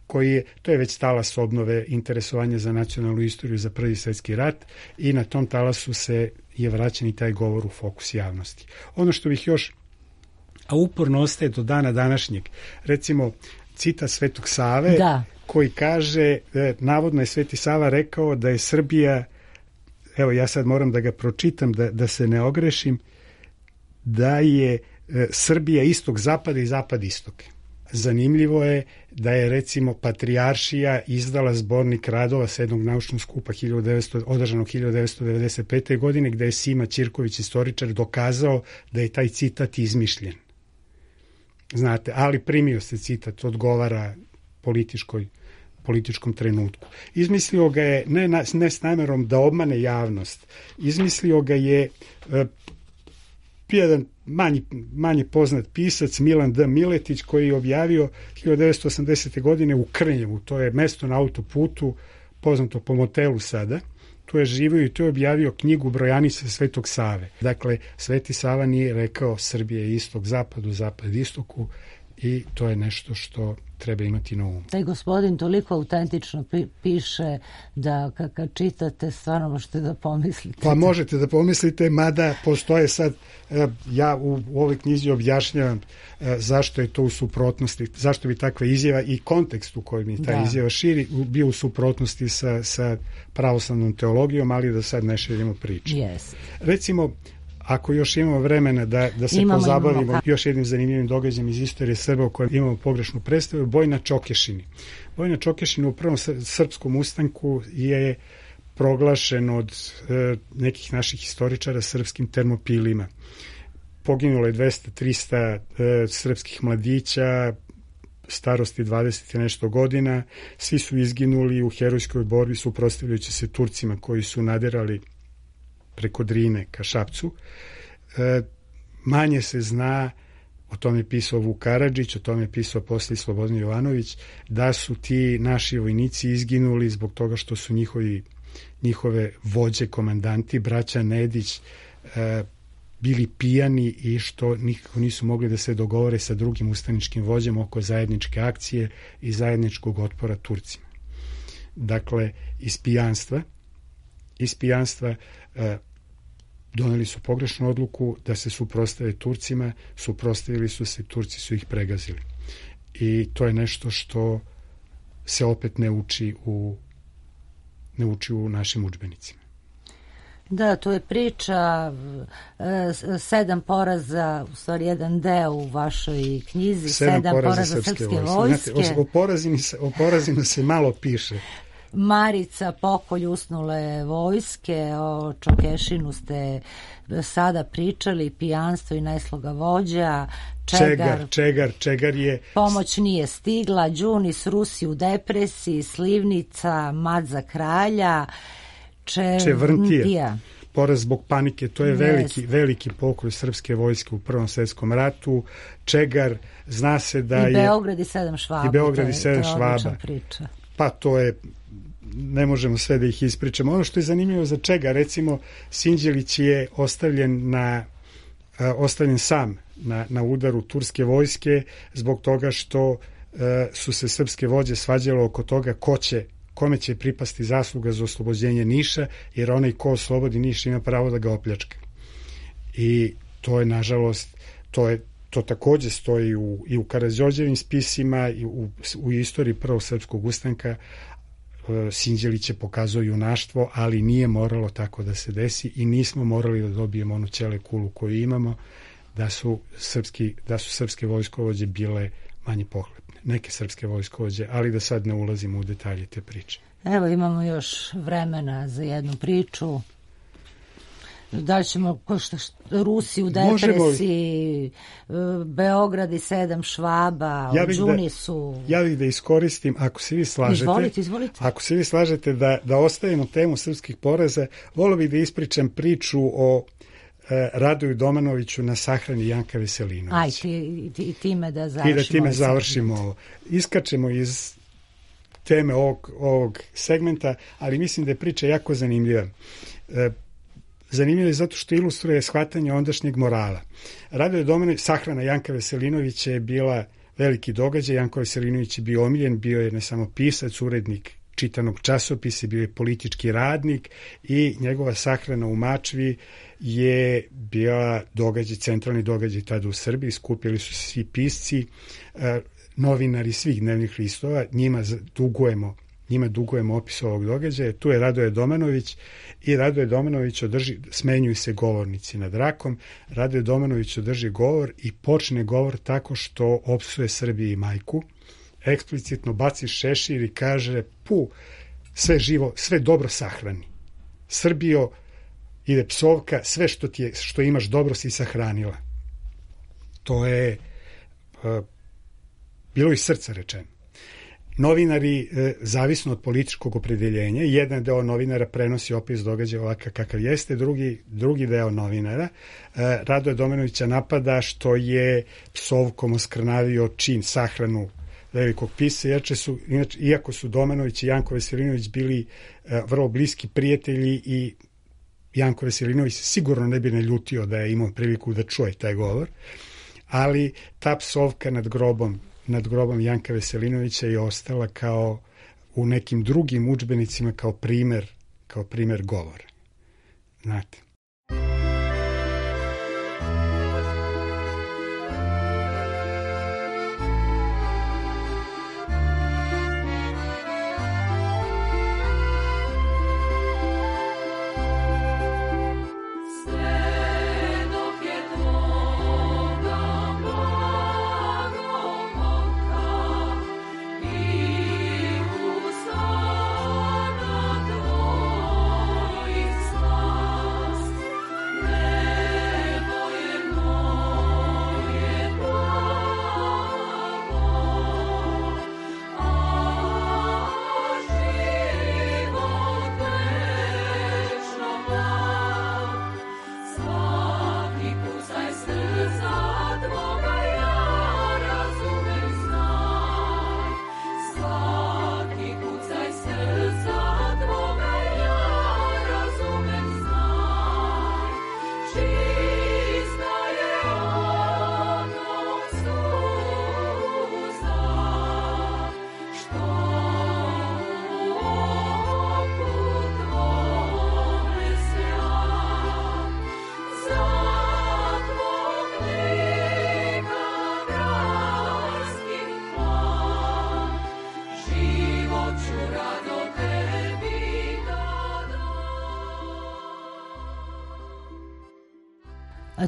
koji je, to je već talas obnove interesovanja za nacionalnu istoriju za Prvi svjetski rat i na tom talasu se je vraćen i taj govor u fokus javnosti. Ono što bih još, a uporno ostaje do dana današnjeg, recimo citat Svetog Save, da. koji kaže, navodno je Sveti Sava rekao da je Srbija, evo ja sad moram da ga pročitam da, da se ne ogrešim, da je Srbija istog zapada i zapad istoke. Zanimljivo je da je recimo Patrijaršija izdala zbornik radova sedmog naučnog skupa hiljadu devetsto, održanog hiljadu devetsto devedeset pete. godine gde je Sima Ćirković, istoričar, dokazao da je taj citat izmišljen. Znate, ali primio se citat, odgovara političkoj, političkom trenutku. Izmislio ga je ne, ne s namerom da obmane javnost, izmislio ga je e, bio jedan manji, manje poznat pisac Milan D. Miletić koji je objavio hiljadu devetsto osamdesete. godine u Krnjevu, to je mesto na autoputu, poznato po motelu sada. Tu je živio i tu je objavio knjigu Brojanice Svetog Save. Dakle, Sveti Sava nije rekao Srbije je istok zapadu, zapad istoku i to je nešto što treba imati na umu. Taj gospodin toliko autentično pi- piše da kad čitate stvarno možete da pomislite. Pa možete da pomislite, mada postoje sad, ja u, u ovoj knjizi objašnjavam zašto je to u suprotnosti, zašto bi takva izjava i kontekst u kojem je ta da. izjava širi bio u suprotnosti sa, sa pravoslavnom teologijom, ali da sad ne širimo priču. Yes. Recimo, ako još imamo vremena da, da se imamo, pozabavimo imamo. još jednim zanimljivim događajem iz istorije Srba u kojem imamo pogrešnu predstavu, boj na Čokešini. Boj na Čokešini u prvom srpskom ustanku je proglašen od e, nekih naših historičara srpskim termopilima. Poginulo je dvesta do trista e, srpskih mladića, starosti dvadeset i nešto godina. Svi su izginuli u herojskoj borbi suprotstavljajući se Turcima koji su naderali preko Drine ka Šapcu. E, manje se zna, o tome je pisao Vuk Karadžić, o tome je pisao posle Slobodan Jovanović, da su ti naši vojnici izginuli zbog toga što su njihovi, njihove vođe, komandanti, braća Nedić, e, bili pijani i što nikako nisu mogli da se dogovore sa drugim ustaničkim vođama oko zajedničke akcije i zajedničkog otpora Turcima. Dakle, iz pijanstva, iz pijanstva e, doneli su pogrešnu odluku da se suprostave Turcima, suprotstavili su se, Turci su ih pregazili. I to je nešto što se opet ne uči u, ne uči u našim udžbenicima. Da, to je priča e, sedam poraza, u stvari jedan deo u vašoj knjizi, sedam, sedam poraza, poraza srpske, srpske vojske. Znate, o, o, porazima se, o porazima se malo piše. Marica, pokolj usnule vojske, o Čokešinu ste sada pričali, pijanstvo i najsloga vođa, Čegar, Čegar, Čegar, Čegar je... Pomoć nije stigla, Đunis, Rusi u depresiji, Slivnica, mat za kralja, Če... Čevrntija, poraz zbog panike, to je veliki, yes. veliki pokolj srpske vojske u Prvom svetskom ratu. Čegar, zna se da I je... I Beograd i sedam švaba. I Beograd i sedam švaba. Priča. Pa to je, ne možemo sve da ih ispričamo. Ono što je zanimljivo za Čega, recimo, Sinđelić je ostavljen, na, uh, ostavljen sam na, na udaru turske vojske zbog toga što uh, su se srpske vođe svađale oko toga ko će, kome će pripasti zasluga za oslobođenje Niša, jer onaj ko oslobodi Niš ima pravo da ga opljačka. I to je, nažalost, to je to takođe stoji u, i u Karađorđevim spisima i u, u istoriji prvog srpskog ustanka. Sinđeliće pokazuje junaštvo, ali nije moralo tako da se desi i nismo morali da dobijemo onu ćele kulu koju imamo, da su, srpski, da su srpske vojskovođe bile manje pohlepne. Neke srpske vojskovođe, ali da sad ne ulazimo u detalje te priče. Evo, imamo još vremena za jednu priču. Da li ćemo, ko što, Rusi u depresiji, možemo, Beograd i sedam švaba, ja u Đunisu. Da, ja bih da iskoristim, ako se vi slažete, izvolite, izvolite. Ako se vi slažete da, da ostavimo temu srpskih poraza, volio bih da ispričam priču o e, Radoju Domanoviću na sahrani Janka Veselinovića. Aj, ti, ti, time da završimo. I da time završimo ovo. Iskačemo iz teme ovog, ovog segmenta, ali mislim da je priča jako zanimljiva. E, Zanimljivo je zato što ilustruje shvatanje ondašnjeg morala. Radoje Domanović, sahrana Janka Veselinovića je bila veliki događaj. Janko Veselinović je bio omiljen, bio je ne samo pisac, urednik čitanog časopisa, bio je politički radnik i njegova sahrana u Mačvi je bila događaj, centralni događaj tada u Srbiji. Skupili su se svi pisci, novinari svih dnevnih listova, njima dugujemo njima dugujemo opis ovog događaja. Tu je Radoje Domanović i Radoje Domanović održi, smenjuju se govornici nad rakom. Radoje Domanović održi govor i počne govor tako što opsuje Srbiji i majku. Eksplicitno baci šešir i kaže: pu, sve živo, sve dobro sahrani. Srbijo, ide psovka, sve što, ti je, što imaš dobro si sahranila. To je uh, bilo iz srca rečeno. novinari, e, zavisno od političkog opredeljenja, jedan deo novinara prenosi opis događaja ovakav kakav jeste, drugi, drugi deo novinara e, Radoja Domanovića napada što je psovkom oskrnavio čin, sahranu velikog pisca, inače su, inače, iako su Domanović i Janko Veselinović bili e, vrlo bliski prijatelji i Janko Veselinović sigurno ne bi naljutio da je imao priliku da čuje taj govor, ali ta psovka nad grobom nad grobom Janka Veselinovića je ostala kao u nekim drugim udžbenicima kao primer, kao primer govora. Znate.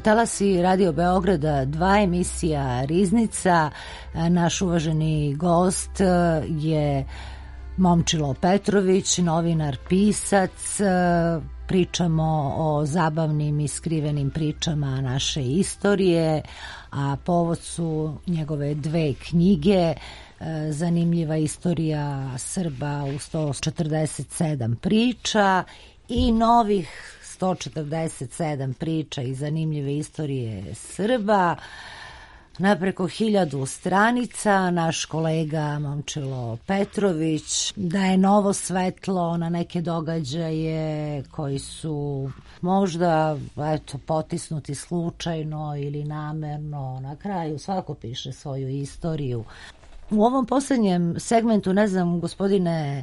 Talasi Radio Beograda, dva emisija Riznica. Naš uvaženi gost je Momčilo Petrović, novinar, pisac. Pričamo o zabavnim i skrivenim pričama naše istorije, a povod su njegove dve knjige. Zanimljiva istorija Srba u sto četrdeset sedam priča i novih sto četrdeset sedam priča i zanimljive istorije Srba na preko hiljadu stranica. Naš kolega Momčilo Petrović daje novo svetlo na neke događaje koji su možda eto, potisnuti slučajno ili namerno. Na kraju svako piše svoju istoriju. U ovom posljednjem segmentu, ne znam, gospodine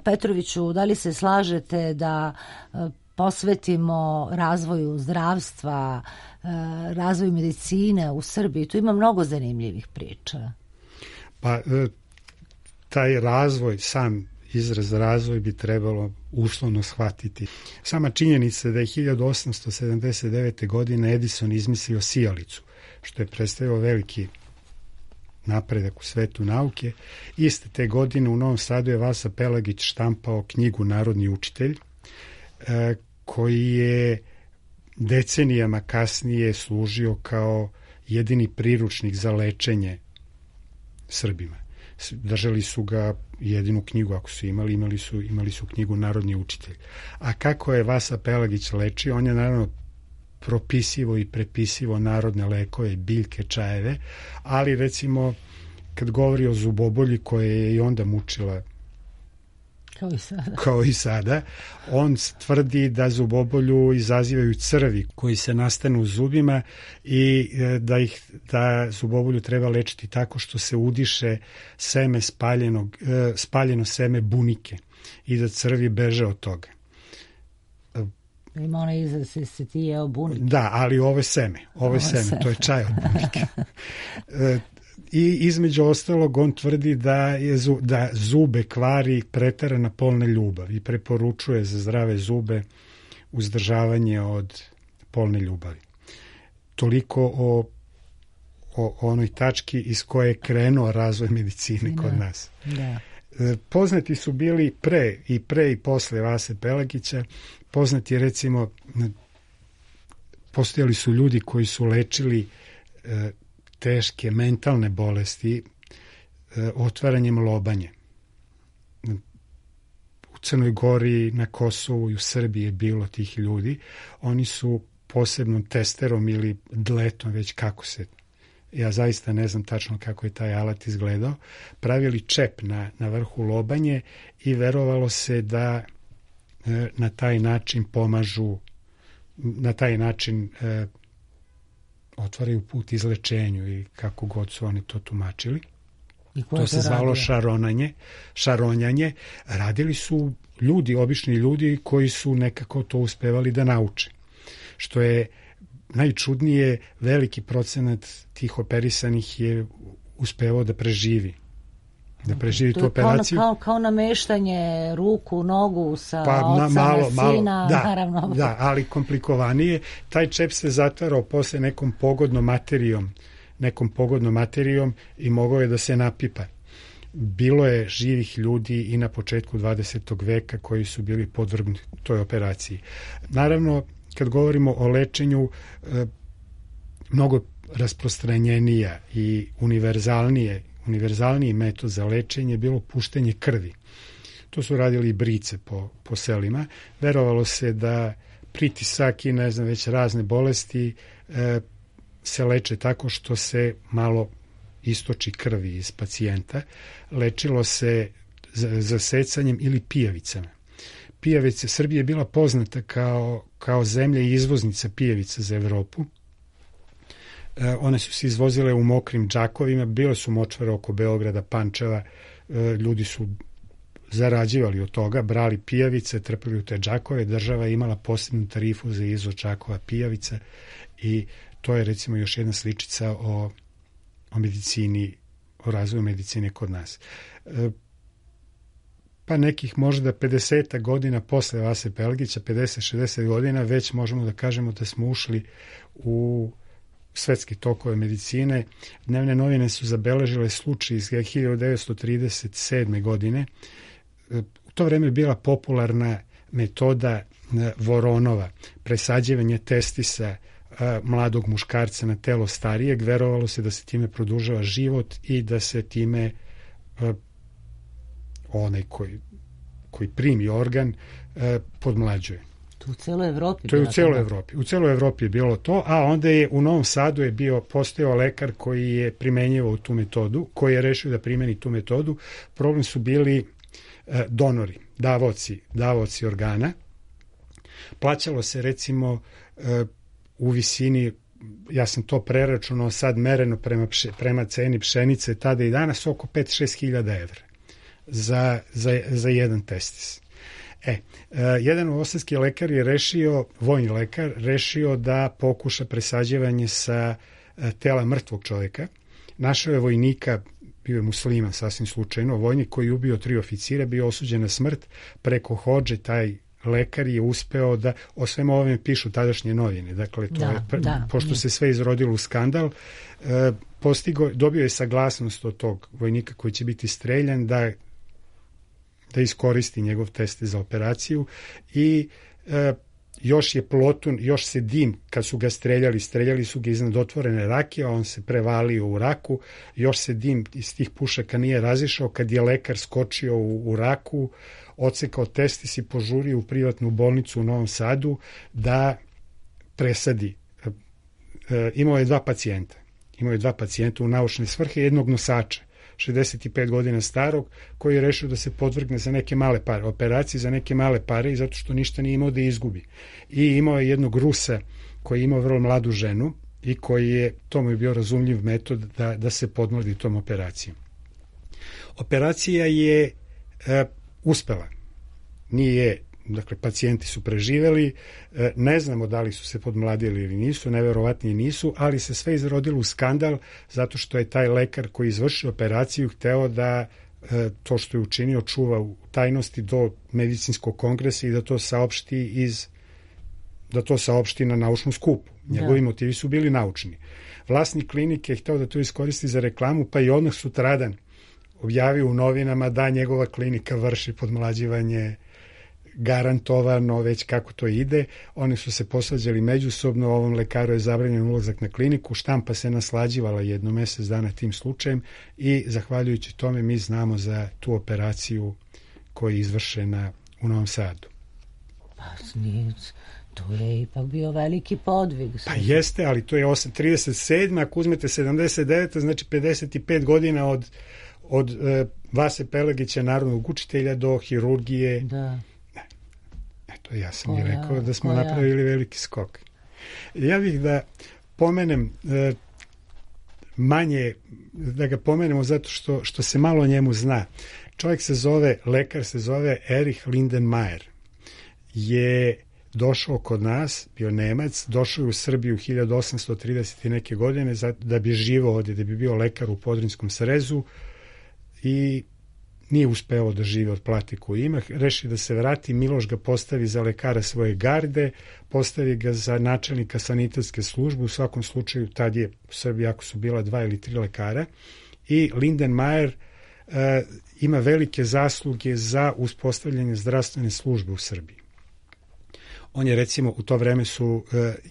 Petroviću, da li se slažete da posvetimo razvoju zdravstva, razvoju medicine u Srbiji? Tu ima mnogo zanimljivih priča. Pa taj razvoj, sam izraz razvoj bi trebalo uslovno shvatiti. Sama činjenica da je hiljadu osamsto sedamdeset devete. godine Edison izmislio sijalicu, što je predstavio veliki napredak u svetu nauke. Iste te godine u Novom Sadu je Vasa Pelagić štampao knjigu Narodni učitelj, koji je decenijama kasnije služio kao jedini priručnik za lečenje Srbima. Držali su ga, jedinu knjigu ako su imali, imali su, imali su knjigu Narodni učitelj. A kako je Vasa Pelagić lečio? On je naravno propisivo i prepisivo narodne lekove, biljke, čajeve, ali recimo kad govori o zubobolji koja je i onda mučila kao i sada, kao i sada on tvrdi da zubobolju izazivaju crvi koji se nastanu u zubima i da, ih, da zubobolju treba lečiti tako što se udiše seme spaljenog, spaljeno seme bunike i da crvi beže od toga. Ima onaj izraz se, se ti jeo bunike. Da, ali ovo je seme. Ovo je seme, seme. To je čaj od bunike. I između ostalog on tvrdi da, je, da zube kvari preterana polna ljubav i preporučuje za zdrave zube uzdržavanje od polne ljubavi. Toliko o, o onoj tački iz koje je krenuo razvoj medicine da, kod nas. Da. Poznati su bili pre i pre i posle Vase Pelagića. Poznati recimo, postojali su ljudi koji su lečili e, teške mentalne bolesti otvaranjem lobanje. U Crnoj Gori, na Kosovu i u Srbiji je bilo tih ljudi. Oni su posebnom testerom ili dletom, već kako se, ja zaista ne znam tačno kako je taj alat izgledao, pravili čep na, na vrhu lobanje i verovalo se da e, na taj način pomažu, na taj način e, otvaraju put izlečenju i kako god su oni to tumačili. To, to se zvalo radio? šaronanje, šaronjanje. Radili su ljudi, obični ljudi koji su nekako to uspevali da nauče. Što je najčudnije, veliki procenat tih operisanih je uspevao da preživi. Da preživi tu operaciju. Kao, kao nameštanje ruku, nogu sa pa, oca na, malo, na sina, malo, da, naravno. Da, ali komplikovanije. Taj čep se zatvarao posle nekom pogodnom materijom, nekom pogodnom materijom i mogao je da se napipa. Bilo je živih ljudi i na početku dvadesetog veka koji su bili podvrgnuti toj operaciji. Naravno, kad govorimo o lečenju, mnogo rasprostranjenija i univerzalnije, univerzalniji metod za lečenje je bilo puštenje krvi. To su radili i brice po, po selima. Verovalo se da pritisak i ne znam već razne bolesti e, se leče tako što se malo istoči krvi iz pacijenta. Lečilo se zasecanjem ili pijavicama. Pijavice, Srbija je bila poznata kao, kao zemlja i izvoznica pijavica za Evropu. E, one su se izvozile u mokrim džakovima, bile su močvare oko Beograda, Pančeva, e, ljudi su zarađivali od toga, brali pijavice, trpili u te džakove, država je imala posebnu tarifu za izvoz džakova pijavica i to je recimo još jedna sličica o, o medicini, o razvoju medicine kod nas. E, pa nekih možda pedeset godina posle Vase Pelgića, pedeset šezdeset godina, već možemo da kažemo da smo ušli u svetske tokove medicine. Dnevne novine su zabeležile slučaj iz hiljadu devetsto trideset sedme. godine. U to vreme je bila popularna metoda Voronova, presađivanje testisa mladog muškarca na telo starijeg. Verovalo se da se time produžava život i da se time onaj koji, koji primi organ podmlađuje. U celoj Evropi. To je u celoj Evropi. U celoj Evropi je bilo to, a onda je u Novom Sadu je bio postojao lekar koji je primenjivao tu metodu, koji je rešio da primeni tu metodu. Problem su bili e, donori, davaoci, davaoci organa. Plaćalo se recimo e, u visini, ja sam to preračunao sad mereno prema, pše, prema ceni pšenice tada i danas oko pet do šest hiljada evra za, za, za jedan testis. E, uh, jedan novosadski lekar je rešio, vojni lekar, rešio da pokuša presađivanje sa uh, tela mrtvog čovjeka. Našao je vojnika, bio je musliman sasvim slučajno, vojnik koji je ubio tri oficira, bio osuđen na smrt. Preko hodže taj lekar je uspeo da, o svemu ovome pišu tadašnje novine, dakle, to da, je, pr, da, pošto je. se sve izrodilo u skandal, uh, postigo, dobio je saglasnost od tog vojnika koji će biti streljan da da iskoristi njegov test za operaciju i e, još je plotun, još se dim, kad su ga streljali, streljali su ga iznad otvorene rake, a on se prevalio u raku, još se dim iz tih pušaka nije razišao, kad je lekar skočio u, u raku, odsekao testis i požurio u privatnu bolnicu u Novom Sadu da presadi. E, e, imao je dva pacijenta. Imao je dva pacijenta u naučne svrhe, jednog nosača, šezdeset pet godina starog, koji je rešio da se podvrgne za neke male pare, operacije za neke male pare i zato što ništa nije imao da izgubi. I imao je jednog Rusa koji je imao vrlo mladu ženu i koji je, to mu je bio razumljiv metod da, da se podmladi tom operacijom. Operacija je e, uspela. Nije, dakle, pacijenti su preživeli, e, ne znamo da li su se podmladili ili nisu, neverovatnije nisu, ali se sve izrodilo u skandal zato što je taj lekar koji izvršio operaciju hteo da e, to što je učinio čuva u tajnosti do medicinskog kongresa i da to saopšti iz da to saopšti na naučnom skupu. Njegovi da. motivi su bili naučni. Vlasnik klinike je hteo da to iskoristi za reklamu, pa i odmah sutradan objavio u novinama da njegova klinika vrši podmlađivanje garantovano već kako to ide. Oni su se posvađali međusobno, ovom lekaru je zabranjen ulazak na kliniku, štampa se naslađivala jedno mesec dana tim slučajem i zahvaljujući tome mi znamo za tu operaciju koja je izvršena u Novom Sadu. Pa nije, to je ipak bio veliki podvig. Pa jeste, ali to je trideset sedma ako uzmete sedamdeset deveta znači pedeset pet godina od, od uh, Vase Pelegića, narodnog učitelja, do hirurgije. Da. Eto, ja sam koja, i rekao da smo koja? napravili veliki skok. Ja bih da pomenem uh, manje, da ga pomenemo zato što, što se malo o njemu zna. Čovjek se zove, lekar se zove Erich Lindenmayer. Je došao kod nas, bio Nemac, došao je u Srbiju hiljadu osamsto trideset i neke godine da bi živao ovdje, da bi bio lekar u Podrinjskom Srezu i nije uspeo da živi od plate koju ima. Reši da se vrati, Miloš ga postavi za lekara svoje garde, postavi ga za načelnika sanitetske službe, u svakom slučaju tad je u Srbiji ako su bila dva ili tri lekara i Lindenmayer uh, ima velike zasluge za uspostavljanje zdravstvene službe u Srbiji. On je recimo, u to vreme su,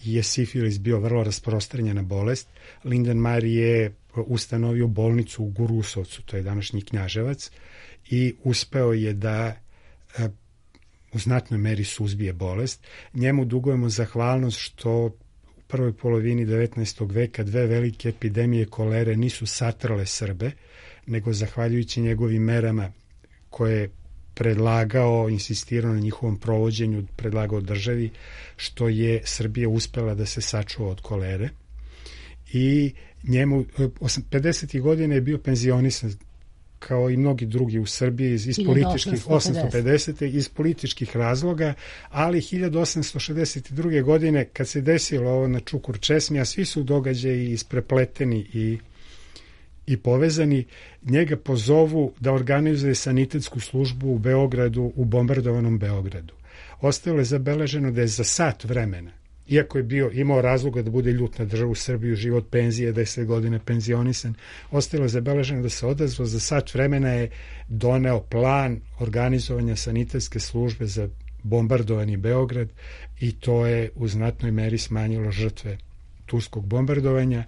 je sifilis bio vrlo rasprostranjena bolest. Lindenmayer je ustanovio bolnicu u Gurusovcu, to je današnji Knjaževac, i uspeo je da u znatnoj meri suzbije bolest. Njemu dugujemo zahvalnost što u prvoj polovini devetnaestog veka dve velike epidemije kolere nisu satrale Srbe, nego zahvaljujući njegovim merama koje predlagao, insistirao na njihovom provođenju, predlagao državi, što je Srbija uspela da se sačuva od kolere. I njemu, pedesetih godina je bio penzionisan, kao i mnogi drugi u Srbiji, iz, iz političkih, osamsto pedeset iz političkih razloga, ali hiljadu osamsto šezdeset druge godine, kad se desilo ovo na Čukur Česmi, a svi su događaji isprepleteni i i povezani, njega pozovu da organizuje sanitetsku službu u Beogradu, u bombardovanom Beogradu. Ostalo je zabeleženo da je za sat vremena, iako je bio, imao razloga da bude ljut na državu Srbiju, život penzije, deset godina penzionisan, ostalo je zabeleženo da se odazvao, za sat vremena je doneo plan organizovanja sanitetske službe za bombardovani Beograd i to je u znatnoj meri smanjilo žrtve turskog bombardovanja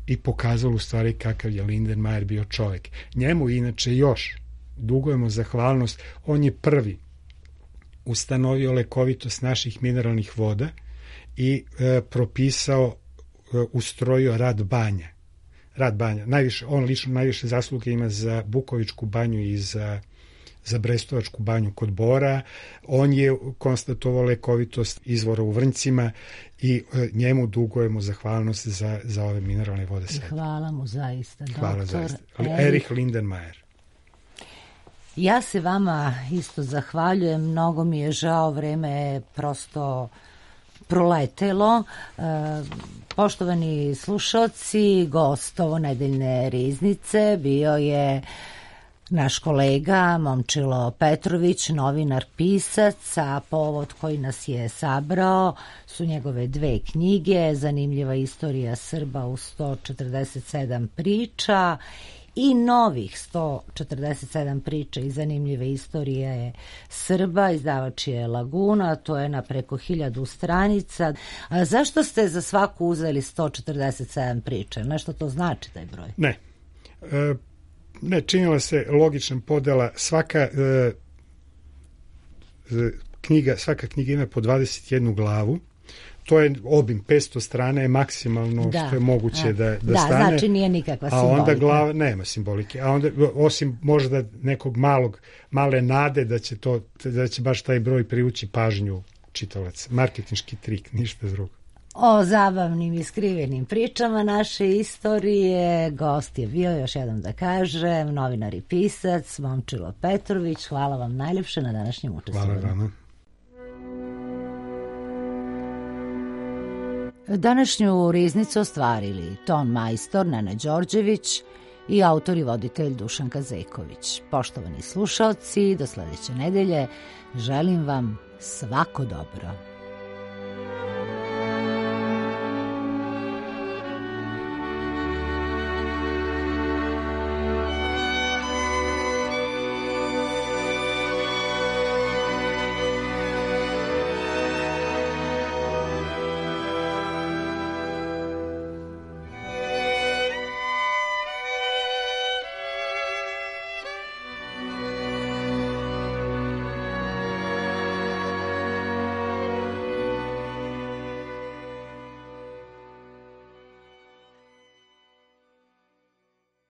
i pokazalo u stvari kakav je Lindenmayer bio čovjek. Njemu inače još dugujemo zahvalnost, on je prvi ustanovio lekovitost naših mineralnih voda i e, propisao, e, ustrojio rad banja. Rad banja. Najviše, on lično najviše zasluge ima za Bukovičku banju i za, za Brestovačku banju kod Bora. On je konstatovao lekovitost izvora u Vrnjcima i e, njemu dugujemo zahvalnost za, za ove mineralne vode. I hvala mu zaista. Hvala zaista. Erich Lindenmayer. Ja se vama isto zahvaljujem, mnogo mi je žao, vreme je prosto proletelo. E, poštovani slušalci, gost ovo nedeljne riznice bio je naš kolega Momčilo Petrović, novinar, pisac, a povod koji nas je sabrao su njegove dve knjige, Zanimljiva istorija Srba u sto četrdeset sedam priča i novih sto četrdeset sedam priča i zanimljive istorije Srba, izdavač je Laguna, to je na preko hiljadu stranica. A zašto ste za svaku uzeli sto četrdeset sedam priča? Nešto to znači taj broj? Ne. E, ne, činila se logična podela. Svaka e, knjiga, svaka knjiga ima po dvadeset jednu glavu. To je obim, petsto strana je maksimalno da, što je moguće da, da, da stane. Da, znači nije nikakva simbolika. A onda glava, nema simbolike. A onda, osim možda nekog malog, male nade da će, to, da će baš taj broj privući pažnju čitalaca. Marketinški trik, ništa drugo. O zabavnim i skrivenim pričama naše istorije gost je bio, još jednom da kažem, novinar i pisac Momčilo Petrović. Hvala vam najljepše na današnjem učestvovanju. Hvala vama. Današnju riznicu ostvarili ton majstor Nena Đorđević i autor i voditelj Dušan Kazeković. Poštovani slušaoci, do sledeće nedelje želim vam svako dobro.